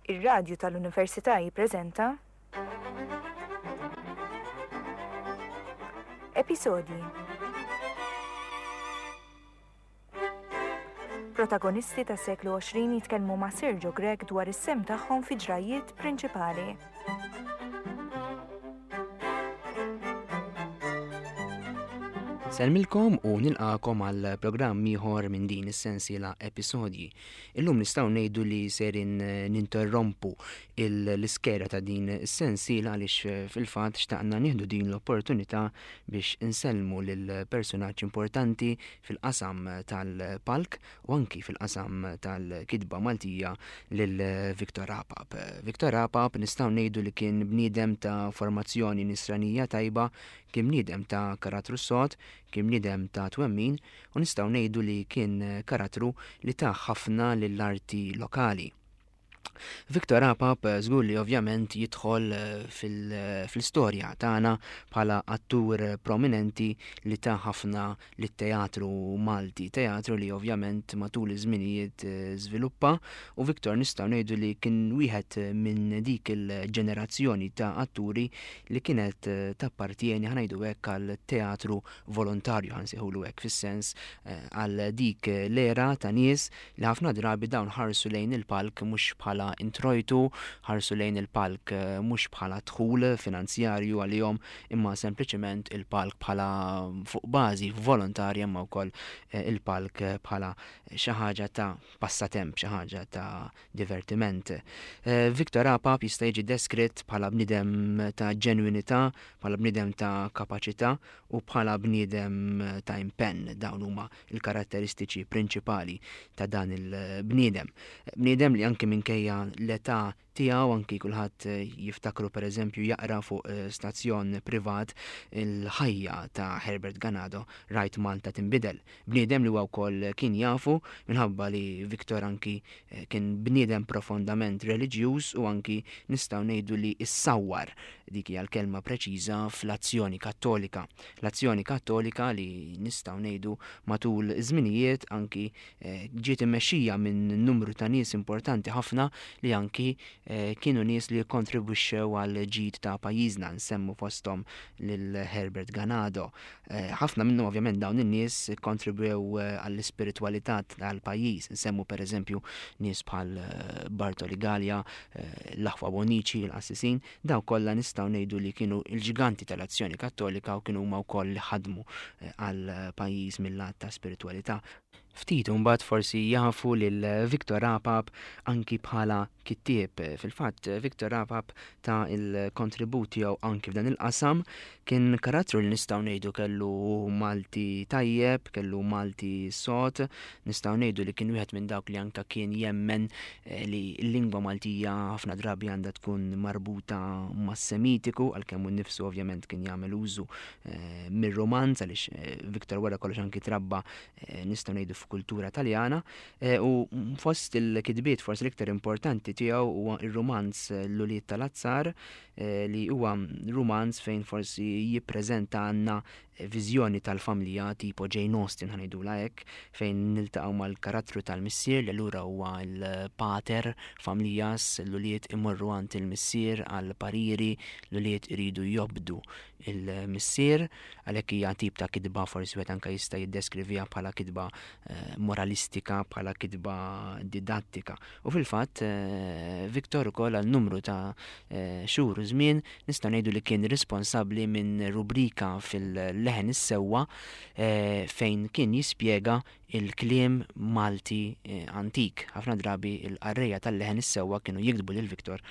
Ir-Radju tal-Università jippreżenta Episodji. Protagonisti tas-seklu 20 jitkellmu ma' Sergio Grech dwar is-sehem tagħhom fi ġrajjiet prinċipali. Nsellmilkom u nilqakom għal programm ieħor minn din is-sensiela episodji. Illum nistgħu ngħidu li serin ninterrompu l-iskeda ta' din is-sensiela għaliex fil-fatt xtaqna nieħdu din l-opportunità biex insellmu lil personaġġ importanti fil-qasam tal-palk u anki fil-qasam tal-kitba Maltija lil Victor Apap. Victor Apap nistgħu ngħidu li kien bniedem ta' formazzjoni nisranija tajba, kien bniedem ta' karattru sod, kien bniedem ta' twemmin u nistgħu ngħidu li kien karattru li ta ħafna lill-arti lokali. Victor Apap żgur li ovvjament jidħol fl-istorja tagħna bħala attur prominenti li ta ħafna lit-teatru Malti, teatru li ovvjament matul iż-żminijiet żviluppa u Victor nistgħu ngħidu li kien wieħed minn dik il-ġenerazzjoni ta' atturi li kienet tappartjeni ħa ngħidu hekk għal teatru volontarju ħa nsejħulu hekk fis-sens għal dik l-era ta' nies li ħafna drabi dawn ħarsu lejn il-palk mhux bħala introjtu, ħarsu lejn il-palk mhux bħala dħul finanzjarju għalihom imma sempliċiment il-palk bħala fuq bażi volontarja imma wkoll il-palk bħala xi ħaġa ta' passatemp, xi ħaġa ta' divertiment. Victor Apap jista' jiġi deskritt bħala bniedem ta' ġenwinità, bħala bniedem ta' kapaċità u bħala bniedem ta' impenn. Dawn huma l-karatteristiċi prinċipali ta' dan il-bniedem. Bniedem li anki minkejja l-età tiegħu, anki kulħadd jiftakru pereżempju jaqra fuq stazzjon privat il-ħajja ta' Herbert Ganado, Rajt Malta Tinbidel. Bniedem li huwa wkoll kien jafu minħabba li Victor anki kien bniedem profondament reliġjuż u anki nistgħu ngħidu li issawwar, dik hija l-kelma preċiża, fl-Azzjoni Kattolika. L-Azzjoni Kattolika li nistgħu ngħidu matul iż-żminijiet anki ġiet immexxija minn numru ta' nies importanti ħafna li anki kienu nies li kkontribwixxew għall-ġid ta' pajjiżna, nsemmu fosthom lil Herbert Ganado. Ħafna minnhom ovvjament dawn in-nies ikkontribwew għall-ispiritwalità tal-pajjiż, nsemmu pereżempju nies bħal Bartoli Galea, l-aħwa Bonnici, il-qassisin, dawk kollha nistgħu ngħidu li kienu l-ġganti tal-Azzjoni Kattolika u kienu huma wkoll li ħadmu għall-pajjiż mil-lat ta' spiritwalità. Ftit imbagħad forsi jafu lil Victor Apap anki bħala kittieb. Fil-fatt, Victor Apap ta l-kontribut tiegħu anki f'dan il-qasam. Kien karattru li nistgħu ngħidu kellu Malti tajjeb, kellu Malti sod, nistgħu ngħidu li kien wieħed minn dawk li anka kien jemmen li l-lingwa Maltija ħafna drabi għandha tkun marbuta mas-Semitiku, għalkemm hu nnifsu ovvjament kien jagħmel użu mir-Romanz għaliex Victor wara kollox anki trabba nistgħu ngħidu f'kultura Taljana, u fost il-kitbiet forsi l-iktar importanti tiegħu huwa r-rumanz L-Ulied tal-Azzar li huwa rumanz fejn forsi jippreżenta għandna viżjoni tal-familja tipo Jane Austen ħa ngħidulha hekk, fejn niltaqgħu mal-karattru tal-missier li allura huwa l-pater familias, l-ulied imorru għand il-missier għal pariri, l-ulied iridu jobdu il-missier, għalhekk hija tip ta' kitba forsi wieħed anke jista' jiddeskriviha bħala kitba moralistika, bħala kitba didattika. U fil-fatt Victor ukoll għal numru ta' xhur u żmien nistgħu ngħidu li kien responsabbli minn rubrika fil-Leħen is-Sewwa fejn kien jispjega il-kliem Malti antik. Ħafna drabi l-qarrejja tal-Leħen is-Sewwa kienu jiktbu lil Victor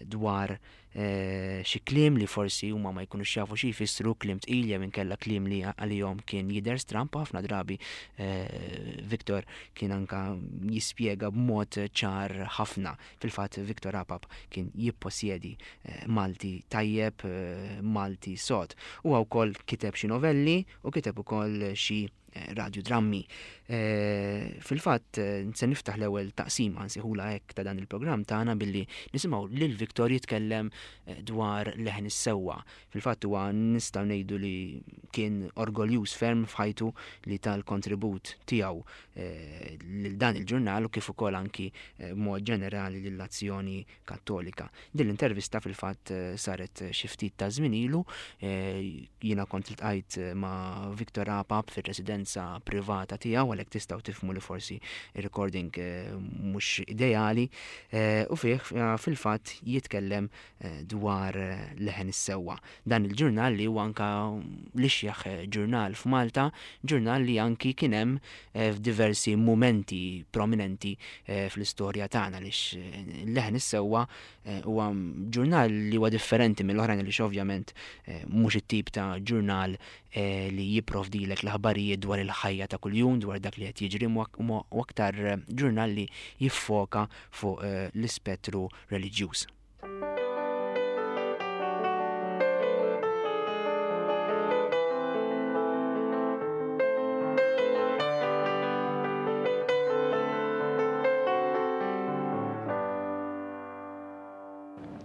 dwar xi kliem li forsi huma ma jkunux jafu xi jfissru, kliem tqil jew inkella kliem li għalihom kien jidher stramb u ħafna drabi Victor kien anka jispjega b'mod ċar ħafna. Fil-fatt Victor Apap kien jipposjedi Malti tajjeb, Malti sod. Huwa wkoll kiteb xi novelli u kiteb ukoll xi. Radiodrammi. Fil-fatt, se niftaħ l-ewwel taqsima nsejħulha hekk ta' dan il-programm tagħna billi nisimgħu lil Victor jitkellem dwar Leħen is-Sewwa. Fil-fatt huwa nistgħu ngħidu li kien orgoljuż ferm f'ħajtu li ta l-kontribut tiegħu lil dan il-ġurnal u kif ukoll anki b'mod ġenerali lill-azzjoni Kattolika. Din l-intervista fil-fatt saret xi ftit ta' żmien ilu, jiena kont iltqajt ma' Victor Apap fir-residenza privata tiegħu għalhekk tistgħu tifhmu li forsi r-recording mhux ideali u fih fil-fatt jitkellem dwar Leħen is-Sewwa. Dan il-ġurnal li huwa anka l-ixjeħ ġurnal f'Malta, ġurnal li anki kien hemm f'diversi mumenti prominenti fl-istorja tagħna għaliex Leħen is-Sewwa huwa ġurnal li huwa differenti mill-oħrajn għaliex ovvjament mhux it-tip ta' ġurnal li jipprovdilek l-aħbarijiet dwar il-ħajja ta' kuljum, dwar dak li qed jiġri u aktar ġurnal li jiffoka fuq l-ispettru reliġjuż.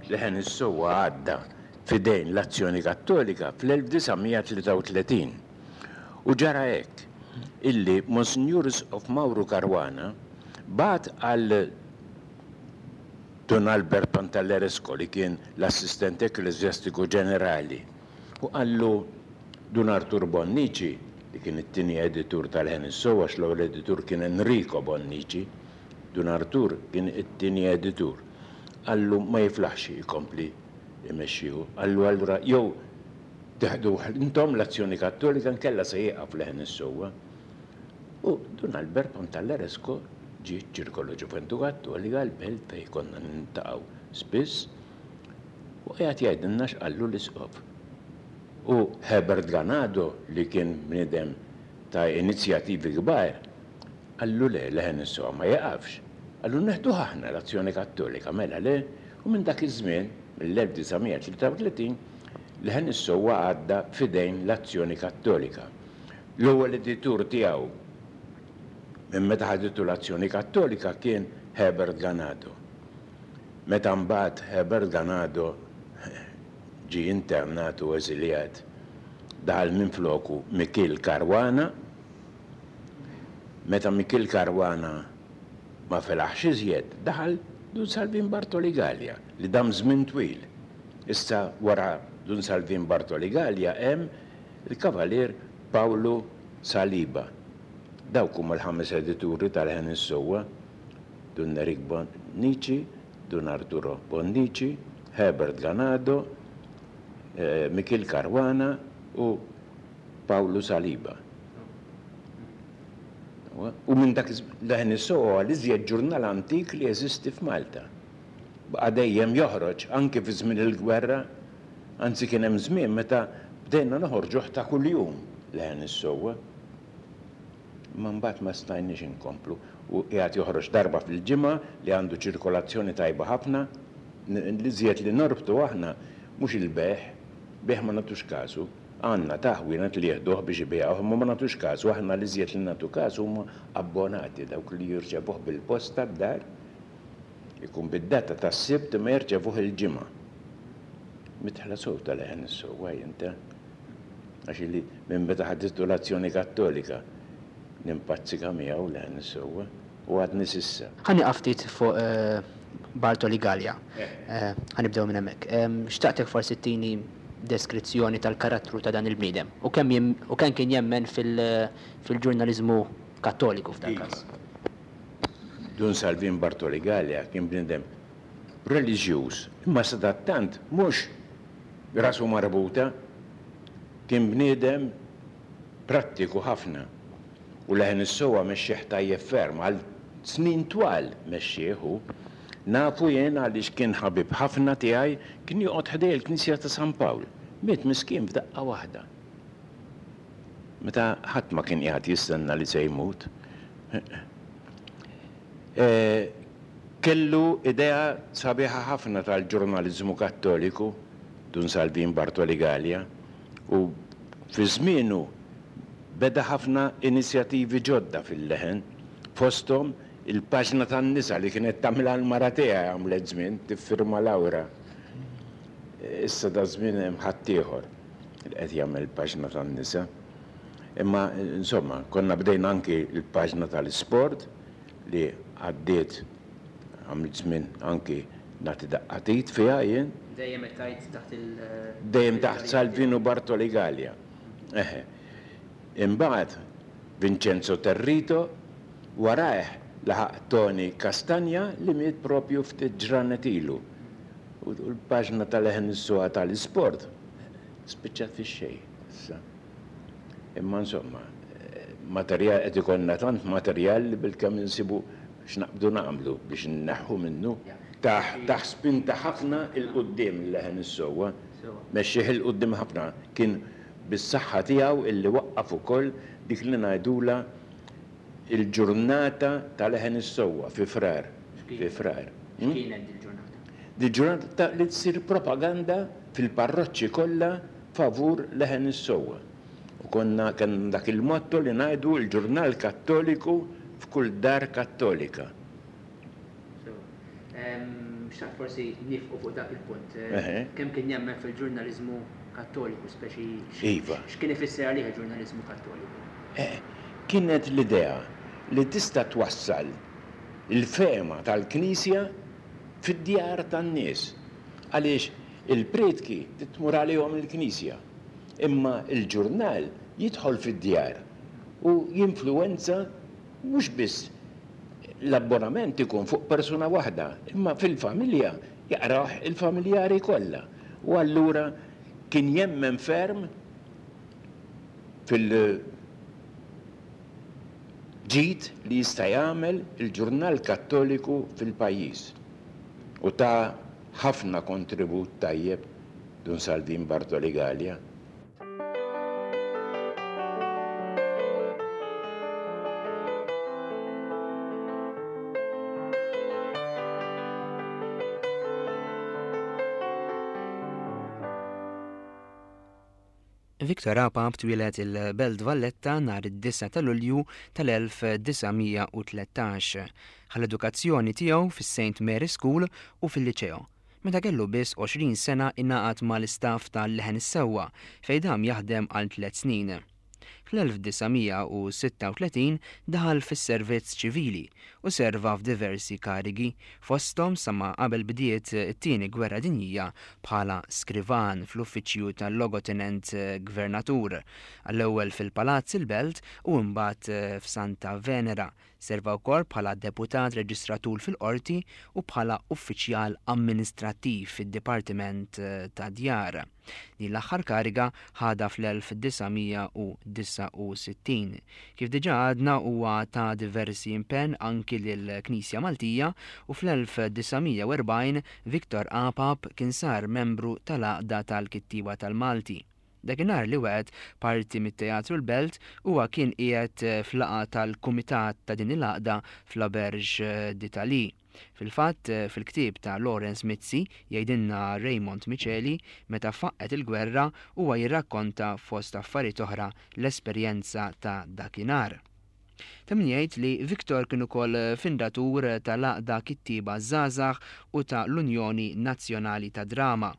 Leħen is-Sewwa għadda f'idejn l-Azzjoni Kattolika fl-1933. U ġara hekk, illi Monsinjur Isqof Mawru Caruana bagħat għal Dun Albert Pantalleresco li kien l-Assistent Ekkleżjastiku Ġenerali u qallu Dun Artur Bonnici li kien it-tieni editur tal-Ħen is-Sew għax l-ewwel editur kien Enrico Bonnici, Dun Artur kien it-tieni editur. Qallu ma jiflaħx ikompli jmexxi hu. Qallu allura jew teħduh intom l-Azzjoni Kattolika inkella se jieqaf Leħen is-Sewwa. U Dun Albert Pantalleresco ġie ċ-Ċirkolo Ġuventu Kattolika l-Belt fejn konna niltaqgħu spiss u qiegħed jgħidilna x'qallu l-Isqof. U Herbert Ganado li kien bniedem ta' inizjativi kbar qallu le, Leħen is-Sewwa ma jieqafx. Qallu neħduh aħna l-Azzjoni Kattolika, mela le? U minn dak iż-żmien, mill-1933, Leħen is-Sewwa għadda f'idejn l-Azzjoni Kattolika. L-ewwel editur tiegħu minn meta ħaditu l-Azzjoni Kattolika kien Herbert Ganado. Meta mbagħad Herbert Ganado ġie internat u eżiljat, daħal minfloku Mikiel Caruana. Meta Mikiel Caruana ma felaħx iżjed, daħal Dun Salvin Bartoli Galea li dam żmien twil. Issa wara Dun Salvin Bartoli Galea hemm Il-Kavalier Pawlu Saliba. Dawk huma l-ħames edituri tal-Ħen is-Sewwa, Dun Nerik Bonnici, Dun Arturo Bonnici, Herbert Ganado, Mikiel Caruana u Pawlu Saliba. U minn dak iż-żmien, Leħen is-Sewwa huwa l-iżjed ġurnal antik li jeżisti f'Malta. Baqa' dejjem joħroġ, anki fi żmien il-gwerra, Anzi kien hemm żmien meta bdejna noħorġuh ta' kuljum Leħen is-Sewwa. Imma mbagħad ma stajniex inkomplu u qiegħed joħroġ darba fil-ġimgħa li għandu ċirkolazzjoni tajba ħafna. L-iżjed li norbtu aħna mhux il-bejgħ, bejgħ ma nagħtux kasu. Għandna ta' ħwienet li jieħduh biex ibigħuh imma ma nagħtux kasu. Aħna l-iżjed li nagħtu kasu huma abbonati, dawk li jirċevuh bil-posta d-dar. Ikun bid-data tas-Sibt imma jirċevuh il-Ġimgħa. Midħla sew ta' Leħen is-Sewwa jien ta'. Għax ili minn meta ħaditu l-Azzjoni Kattolika nimpazzika miegħu Leħen is-Sewwa u għadni s'issa. Ħa nieqaf ftit fuq Bartoli Galea. Ħa nibdew minn hemmhekk. Xtaqtek forsi ttini deskrizzjoni tal-karattru ta' dan il-bniedem u kemm u kemm kien jemmen fil-ġurnaliżmu Kattoliku f'dal-każ. Dun Salvin Bartoli Galea kien bniedem reliġjuż, imma sadattant mhux rasu marbuta. Kien bniedem prattiku ħafna u Leħen is-Sewwa mexxieh tajjeb ferm, għal snin twal mexxieh hu. Nafu jien għaliex kien ħabib ħafna tiegħi, kien joqgħod ħdej il-knisja ta' San Pawl. Miet miskin f'daqqa waħda. Meta ħadd ma kien qiegħed jistenna li se jmut. Kellu idea sabiħa ħafna tal-ġurnaliżmu Kattoliku, Dun Salvin Bartoli Galea, u fi żmienu Beda ħafna inizjattivi ġodda fil-Leħen, fosthom il-paġna tan-nisa li kienet tagħmilha l-mara tiegħi għamlet żmien tiffirma Laura. Issa daż-żmien hemm ħaddieħor li qed jagħmel il-paġna tan-nisa. Imma insomma, konna bdejna anki l-paġna tal-isport li għaddiet għamilt żmien anki nagħti daqqa t'id fiha jien. Dejjem qed tgħid taħt il. Dejjem taħt Salvino Bartoli Galea. Eħe. Imbagħad Vincenzo Territo, warajh laħaq Tony Castagna li miet propju ftit ġranet ilu. U l-paġna ta' Leħen is-Suha tal-isport spiċċat fix-xejn issa. Imma insomma, materjal qed ikollna tant materjal li bilkemm insibu x'naqbdu nagħmlu biex inneħħu minnu. Tah tah spinta ħafna 'l quddiem il-Leħen is-Sewwa. Mexxieh 'il quddiem ħafna. Kien bis-saħħa tiegħu illi waqqaf ukoll dik li ngħidulha il-ġurnata ta' Leħen is-Sewwa fi Frar. Fi Frar. X'kienet dil-ġurnata? Dil-ġurnata ta' li tsir propaganda fil-parroċċi kollha favur Leħen is-Sewwa. U konna kellna dak il-motto li ngħidu l-ġurnal Kattoliku f'kull dar Kattolika. Sewa. Xtaqt forsi nifqu fuq dak il-punt. Kemm kien jemmen fil-ġurnaliżmu Kattoliku, speċi Iva. x'kien ifisser għalih il-ġurnaliżmu Kattoliku? Kienet l-idea li tista' twassal il-fehma tal-Knisja fid-djar tan-nies. Għaliex il-prietki trid tmur għalihom il-Knisja. Imma l-ġurnal jidħol fid-djar u jinfluwenza mhux biss l-abbonament ikun fuq persuna waħda, imma fil-familja jaqrawh il-familjari kollha. U allura kien jemmen ferm fil-ġid li jista' jagħmel il-ġurnal Kattoliku fil-pajjiż. U ta ħafna kontribut tajjeb Dun Salvin Bartoli Galea. Victor Apap twieled il-Belt Valletta nhar id-9 ta' Lulju tal-1913. Ħa l-edukazzjoni tiegħu fis-St Mary's School u fil-Liċeo. Meta kellu biss 20 sena ingħaqad mal-istaff ta' Leħen is-Sewwa fejn dam jaħdem għal tliet snin. Fl-1936 daħal fis-servizz ċivili u serva f'diversi karigi, fosthom sa ma qabel bdiet it-Tieni Gwerra Dinjija bħala skrivan fl-uffiċċju tal-Logotenent Gvernatur, għall-ewwel fil-Palazz il-Belt u imbagħad f'Santa Venera Serva wkoll bħala deputat reġistratur fil-qorti u bħala uffiċjal amministrattiv fid-Dipartiment tad-Djar. Din l-aħħar kariga ħadha fl-1969. Kif diġà għadna huwa ta diversi impenn anki lill-Knisja Maltija u fl-1940 Victor Apap kien sar membru tal-Għaqda tal-Kittieba tal-Malti. Dakinhar li waqgħet parti mit-Teatru l-Belt, huwa kien qiegħed f'laqgħa tal-kumitat ta' din il-għaqda fl-Auberge d'Italie. Fil-fatt, fil-ktieb ta' Lawrence Mizzi, jgħidilna Raymond Miceli, meta faqqgħet il-gwerra, huwa jirrakkonta fost affarijiet oħra l-esperjenza ta' dakinhar. Ta' min jgħid li Victor kien ukoll findatur tal-Għaqda Kittieba Żgħażagħ u ta' l-Unjoni Nazzjonali tad-Drama.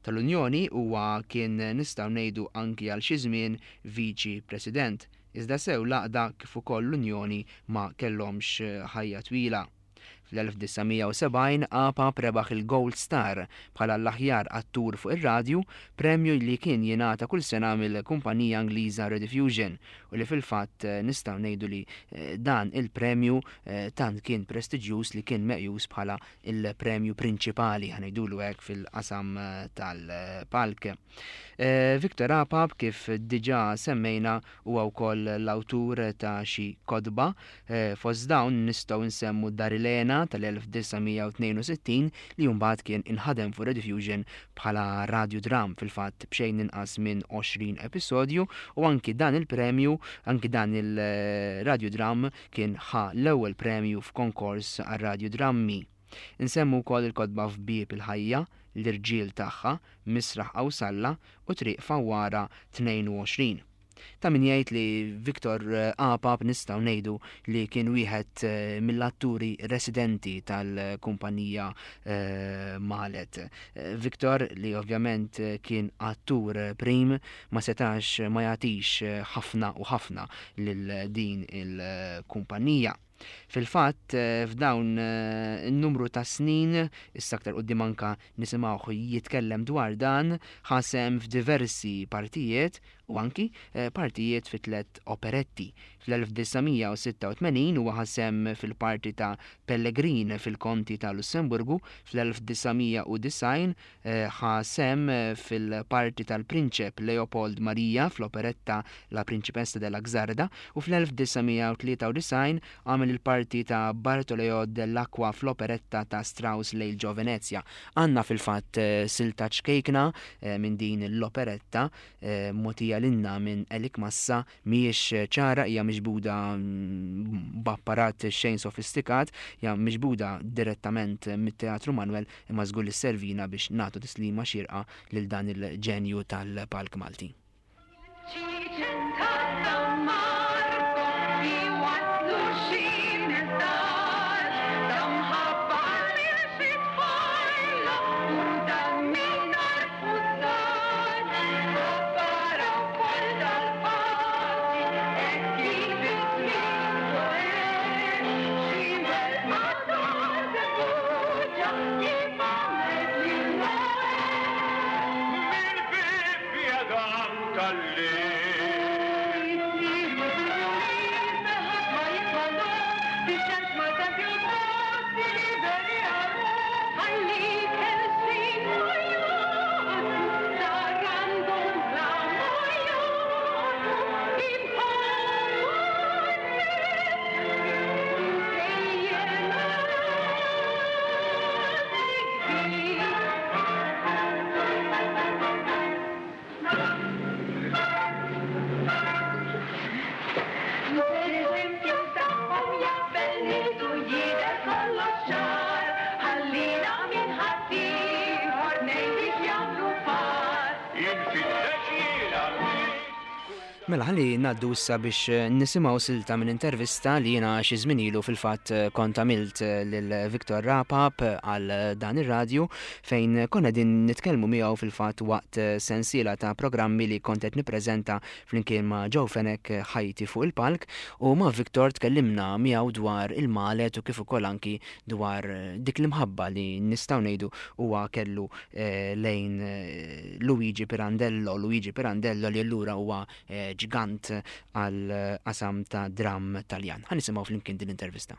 Tal-Unjoni huwa kien nistgħu ngħidu anki għal xi żmien Viċi President, iżda sew l-Għaqda kif ukoll l-Unjoni ma kellhomx ħajja twila. Fl-1970 Apap rebaħ il-Gold Star bħala l-aħjar attur fuq ir-radju, premju li kien jingħata kull sena mill-kumpanija Ingliża Rediffusion u li fil-fatt nistgħu ngħidu li dan il-premju tant kien prestiġjuż li kien meqjus bħala il-premju prinċipali, ħa ngħidulu hekk, fil-qasam tal-palk. Victor Apap, kif diġà semmejna, huwa wkoll l-awtur ta' xi kotba. Fost dawn nistgħu nsemmu Dar il-Hena tal-1962 li mbagħad kien inħadem fuq Rediffusion bħala radjudram fil-fatt b'xejn inqas minn 20 episodju u anki dan il-premju, anki dan il-radjudram Kien ħa l-ewwel premju f'konkors għar-radjudrammi. Insemmu wkoll il-kotba F'Bieb il-Ħajja, L-Irġiel Tagħha, Misraħ Qawsalla u Triq Fawwara 22. Ta' min jgħid li Victor Apap nistgħu ngħidu li kien wieħed mill-atturi residenti tal-kumpanija Malet. Victor li ovvjament kien attur prim ma setax ma jagħtix ħafna u ħafna lil din il-kumpanija. Fil-fatt, f'dawn in-numru ta' snin, issa aktar quddiem anka nisimgħuh jitkellem dwar dan, ħa sehem f'diversi partijiet u anki partijiet fi tlett operetti. Fl-1986 huwa ħa sehem fil-parti ta' Pellegrin fil-Konti ta' Lussemburgu, fl-1990 Ħa sehem fil-parti tal-Prinċep Leopold Maria fl-operetta La Principessa della Xarda u fl-1993 għamel il-parti ta' Bartoleo dell'Acqua fl-operetta ta' Strauss Lejl ġo Venezja. Għandna fil-fatt silta ċkejkna minn din l-operetta mogħtija lilna minn Elik Massa Mhijiex ċara, hija miġbuda b'apparat xejn sofistikat, hija miġbuda direttament mit-Teatru Manoel imma żgur li sservina biex nagħtu tislima xierqa lil dan il-ġenju tal-palk Malti. Mela ħalli ngħaddu issa biex eh, nisimgħu silta minn intervista li jiena xi żmien ilu fil-fatt eh, kont għamilt eh, lil Victor Rapap għal dan ir-radju fejn konna din nitkellmu miegħu fil-fatt waqt sensiela ta' programmi li kont qed nippreżenta flimkien ma' Joe Fenech Ħajti fuq il-palk u ma' Victor tkellimna miegħu dwar il-Malet u kif ukoll anki dwar dik l-imħabba li nistgħu ngħidu huwa kellu lejn Luigi Pirandello, Luigi Pirandello li allura huwa ġgant għall-qasam ta' dramm Taljan. Ħa nisimgħu flimkien din l-intervista.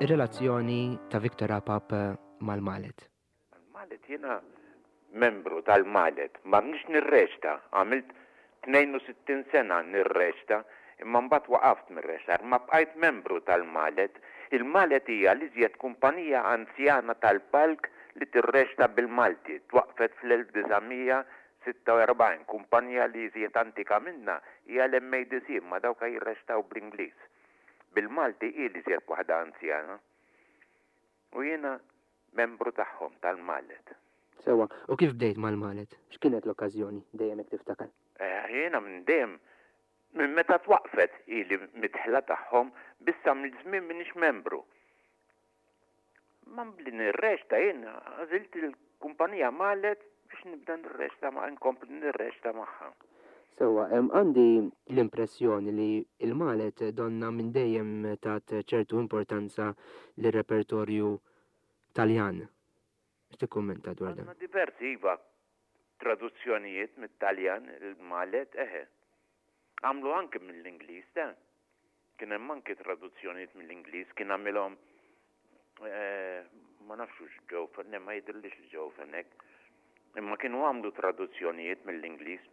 Ir-relazzjoni ta' Victor Apap mal-Malet. Mal-Malet jiena membru tal-Malet, ma nix nirreċta, għamilt 62 sena nirreċta, imma mbagħad waqaft mir-reċtar, ma bqajt membru tal-Malet. Il-Malet hija l-iżjed kumpanija anzjana tal-palk li tirreċta bil-Malti, twaqqfet fl-1946, kumpanija li iżjed antika minnha hija l-MADC imma dawk jirreċtaw bl-Ingliż. Bil-Malti hi l-iżjed waħda anzjana. U jiena membru tagħhom tal-Malet. Sewwa, u kif bdejt mal-Malet? X'kienet l-okkażjoni, dejjem hekk tiftakar? Jiena minn dejjem, minn meta twaqqfet ili midħla tagħhom, biss għamilt żmien m'iniex membru. Imma billi nirreċta jien għażilt il-kumpanija Malet biex nibda nirreċta ma' nkompli nirreċta magħha. Sewwa, għandi l-impressjoni li l-Malet donnha minn dejjem tat ċertu importanza lir-repertorju Taljan. X'tikkummenta dwar dan? Għandna diversi, iva, traduzzjonijiet mit-Taljan il-Malet, eħe. Għamlu anki mill-Ingliż, te. Kien hemm anki traduzzjonijiet mill-Ingliż, kien għamilhom ma nafx hux Joe Fenech, ma jidhirlix li Joe Fenech. Imma kienu għamlu traduzzjonijiet mill-Ingliż.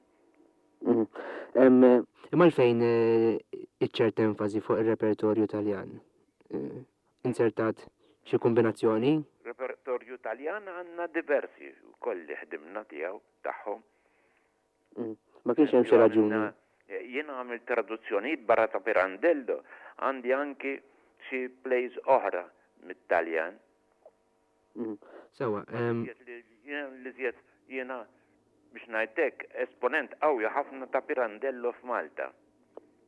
Imma għalfejn iċ-ċert enfasi fuq ir-repertorju Taljan? Inzertat xi kombinazzjoni? Repertorju Taljan għandna diversi wkoll li ħdimna tiegħu tagħhom. Ma kienx hemm xi raġuni. Jiena għamilt traduzzjonijiet barra ta' Pirandello, Għandi anki xi plays oħra mit-Taljan. Sewwa. L-iżjed jiena biex ngħid hekk, esponent qawwi ħafna ta' Pirandello f'Malta.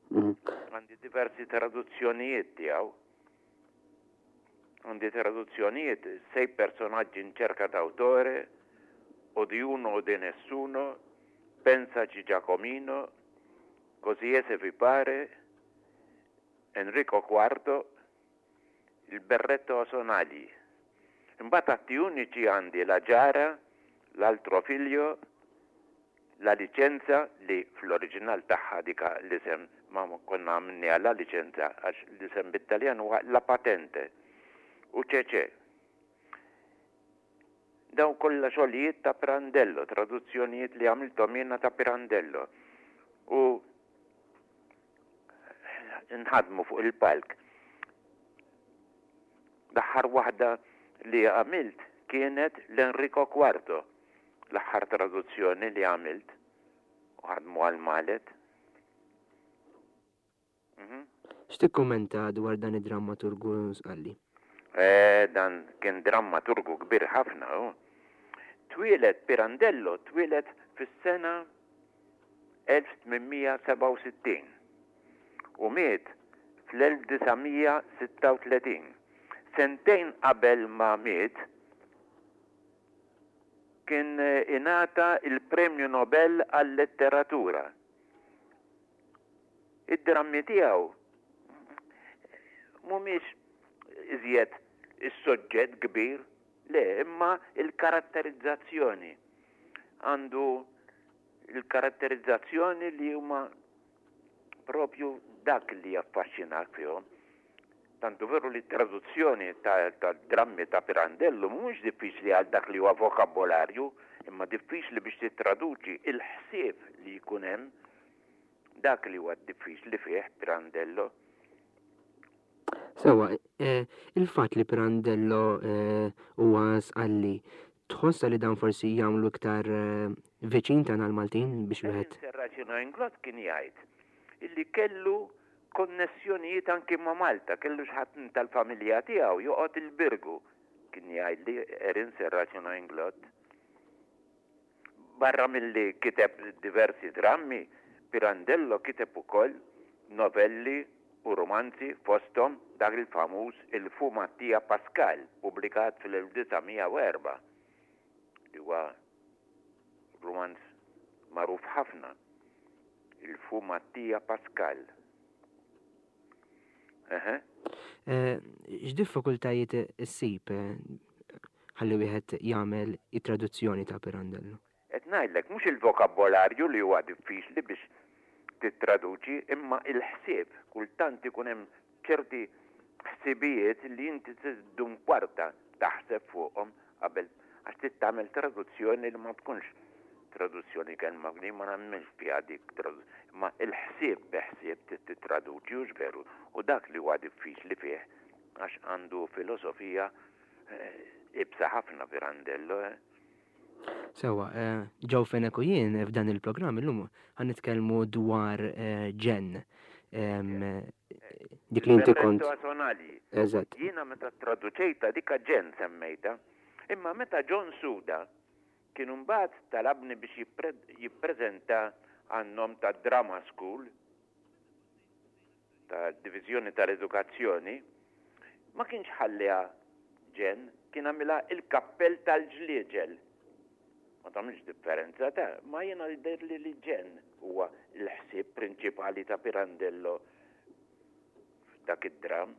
Għandi diversi traduzzjonijiet tiegħu. Għandi traduzzjonijiet, Sei personaggi in cerca d'autore, O di uno o di nessuno, Pensaci Giacomino, Così è se vi pare, Enrico Quarto, Il berretto a sonagli. Imbagħad atti uniċi għandi La Giara, L'altro figlio, La licenza li fl-oriġinal tagħha dik l-isem ma konna għamilniha La licenza għax l-isem bit-Taljan huwa La patente u Cecè. Dawn kollha xogħlijiet ta' Pirandello, traduzzjonijiet li għamilthom jiena ta' Pirandello u nħadmu fuq il-palk. L-aħħar waħda li għamilt kienet l-Enrico Quarto, l-aħħar traduzzjoni li għamilt u ħadmu għal Malet. Mhm. X'tikkummenta dwar dan id-drammaturgu Sqalli? Eh, dan kien drammaturgu kbir ħafna, hu. Twieled Pirandello twieled fis-sena 1867 u miet fl-1936. Sentejn qabel ma miet kien ingħata l-Premju Nobel għal-Letteratura. Id-drammi tiegħu mhumiex iżjed is-soġġett kbir, le, imma l-karatterizzazzjoni. Għandu l-karatterizzazzjoni li huma propju dak li jaffaxxinak fihom. Tant hu veru li t-traduzzjoni tad-drammi ta' Pirandello mhumiex diffiċli għal dak li huwa vokabolarju, imma diffiċli biex tittraduċi l-ħsieb li jkun hemm. Dak li huwa diffiċli fih Pirandello. Sewwa, il-fatt li Pirandello huwa Sqalli, tħossha li dan forsi jagħmlu iktar viċin tagħna l-Maltin biex wieħed. Erin Serracino Inglott kien jgħid illi kellu konnessjonijiet anki ma' Malta, kellu xi ħadd tal-familja tiegħu joqgħod il-Birgu, kien jgħidli Erin Serracino Inglott. Barra milli kiteb diversi drammi, Pirandello kiteb ukoll novelli u rumanzi fosthom dak il-famuż Il fu Mattia Pascal pubblikat fil-1904 li huwa rumanz magħruf ħafna. Il fu Mattia Pascal. Eħe. X'diffikultajiet issib ħalli wieħed jagħmel it-traduzzjoni ta' Pirandello? Qed ngħidlek, mhux il-vokabolarju li huwa diffiċli biex tittraduċi, imma il-ħsieb. Kultant ikun hemm ċerti ħsibijiet li inti trid ddum kwarta taħseb fuqhom qabel għax trid tagħmel traduzzjoni li ma tkunx traduzzjoni kelma li ma nagħmilx fiha dik imma il-ħsieb bi ħsieb trid tittraduċi hux veru u dak li huwa diffiċli fih għax għandu filosofija iebsa ħafna Pirandello eh. Sewwa, Joe Fenech u jien f'dan il-programm illum ħa nitkellmu dwar ġenn. Dik li inti kont. Eżatt. Jiena meta ttraduċejtha dika ġenn semmejtha, imma meta John Suda kien imbagħad talabni biex jippreżenta għan-nom tad-Drama School, tad-Diviżjoni tal-Edukazzjoni, ma kienx ħalliha ġenn, kien għamilha il-kappell tal-ġlieġel. Ma tagħmilx differenza ta', ma jiena jidhirli li ġenn huwa l-ħsieb prinċipali ta' Pirandello f'dak id-dramm.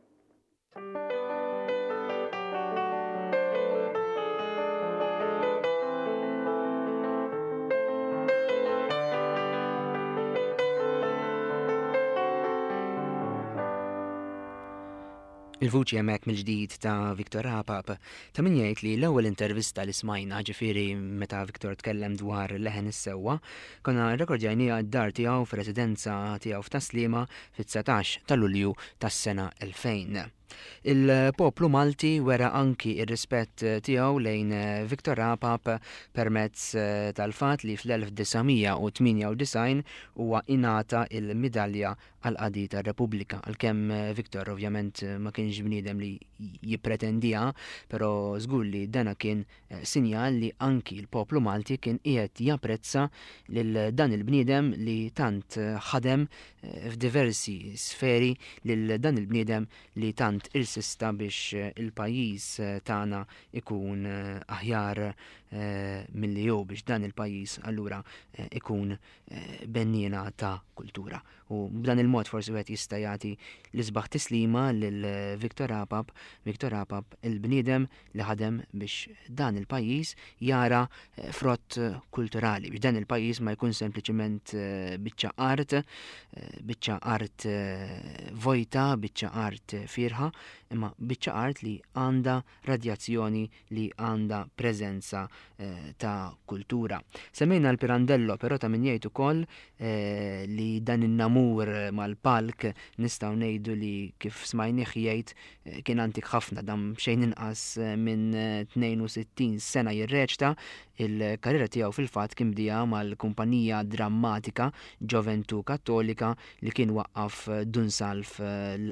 Il-vuċi hemmhekk mill-ġdid ta' Victor Apap. Ta' min jgħid li l-ewwel intervista li smajna, ġifieri meta Victor tkellem dwar Leħen is-Sewwa, konna rrekordjajniha d-dar tiegħu fir-residenza tiegħu f'Tas-Sliema fit-19 ta' Lulju tas-sena 2000. Il-poplu Malti wera anki r-rispett tiegħu lejn Victor Apap permezz tal-fatt li fl-1998 huwa ingħata l-Midalja għall-Qadi tar-Repubblika. Għalkemm Victor ovvjament ma kienx bniedem li jippretendiha, però żgur li dana kien sinjal li anki l-poplu Malti kien qiegħed japprezza lil dan il-bniedem li tant ħadem f'diversi sferi, lil dan il-bniedem li tant irsista biex il-pajjiż tagħna ikun aħjar milli hu, biex dan il-pajjiż allura ikun benniena ta' kultura. U b'dan il-mod forsi wieħed jista' jagħti l-isbaħ tislima lil Victor Apap, Victor Apap il-bniedem li ħadem biex dan il-pajjiż jara frott kulturali, biex dan il-pajjiż ma jkun sempliċiment biċċa art, biċċa art vojta, biċċa art fierħa, imma biċċa art li għandha radjazzjoni li għandha preżenza ta' kultura. Semmejna l-Pirandello, però ta' min jgħid ukoll li dan in-namur mal-palk nistgħu ngħidu li kif smajnih jgħid kien antik ħafna, dam xejn inqas minn 62 sena jirreċta. Il-karriera tiegħu fil-fatt kien bdieha mal-kumpanija drammatika Gioventù Kattolika li kien waqqaf Dun Salv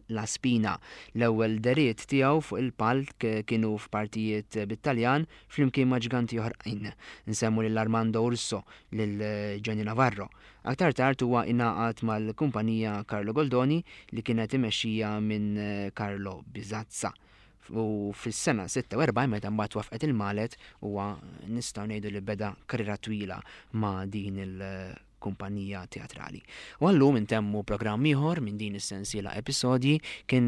La Spina. L-ewwel dehriet tiegħu fuq il-palk kienu f'partijiet bit-Taljan flimkien ma' ġganti oħrajn. Nsemmu lil Armando Urso, lil Gianni Navarro. Aktar tard huwa ingħaqad mal-kumpanija Carlo Goldoni li kienet imexxija minn Carlo Bisazza. U fis-sena 46 meta mbagħad waffqet il-Malet huwa nistgħu ngħidu li beda karriera twila ma' din il kumpanija teatrali. U għallum intemmu programm ieħor minn din is-sensiela episodji, kien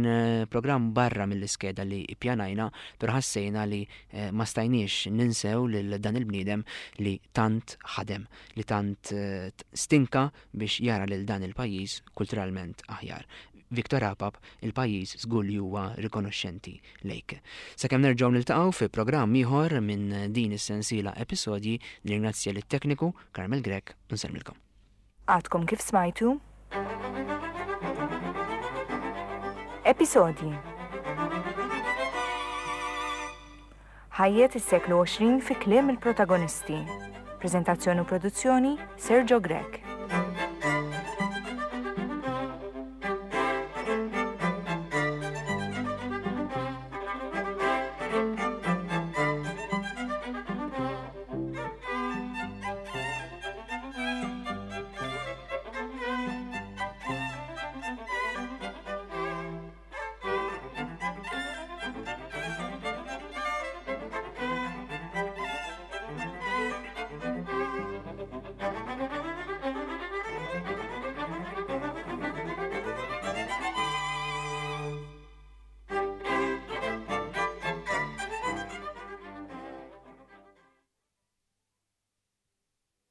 programm barra mill-iskeda li ippjanajna, però ħassejna li ma stajniex ninsew lil dan il-bniedem li tant ħadem, li tant stinka biex jara lil dan il-pajjiż kulturalment aħjar. Victor Apap, il-pajjiż żgur li huwa rikonoxxenti lejk. Sakemm nerġgħu niltaqgħu fi programm ieħor minn din is-sensiela episodji, nirringrazzja lit-tekniku Carmel Grech u nsellmilkom. Għadkom kif smajtu Episodji Ħajjet is-seklu 20 fi kliem il-protagonisti. Preżentazzjoni u produzzjoni Sergio Grech.